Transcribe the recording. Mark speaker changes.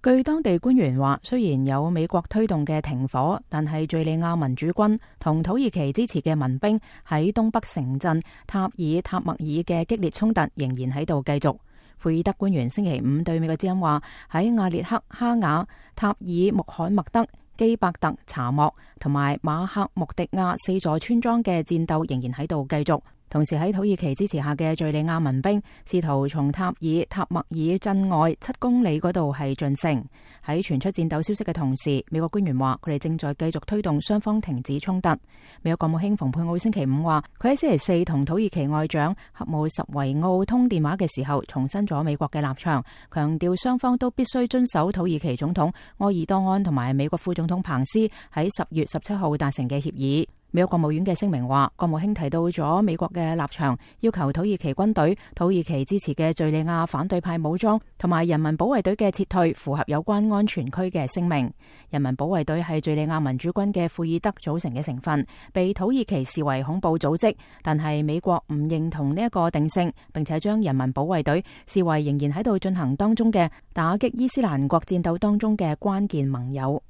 Speaker 1: 據當地官員話，雖然有美國推動嘅停火，但係敘利亞民主軍同土耳其支持嘅民兵喺東北城鎮塔爾塔默爾嘅激烈衝突仍然喺度繼續。庫爾德官員星期五對美國之音話，喺阿列克哈瓦、塔爾穆罕默德、基伯特查莫同埋馬克穆迪亞4座村莊嘅戰鬥仍然喺度繼續。同時喺土耳其支持下嘅敘利亞民兵試圖從塔爾塔默爾鎮外7公里嗰度係進城。喺傳出戰鬥消息嘅同時，美國官員話佢哋正在繼續推動雙方停止衝突。美國國務卿蓬佩奧星期五話，佢喺星期四同土耳其外長合姆什維奧通電話嘅時候，重申咗美國嘅立場，強調雙方都必須遵守土耳其總統埃爾多安同埋美國副總統彭斯喺10月17號達成嘅協議。美國國務院嘅聲明話，國務卿提到咗美國嘅立場，要求土耳其軍隊、土耳其支持嘅敘利亞反對派武裝同埋人民保衛隊嘅撤退符合有關安全區嘅聲明。人民保衛隊係敘利亞民主軍嘅庫爾德組成嘅成分，被土耳其視為恐怖組織，但係美國唔認同呢一個定性，並且將人民保衛隊視為仍然喺度進行當中嘅打擊伊斯蘭國戰鬥當中嘅關鍵盟友。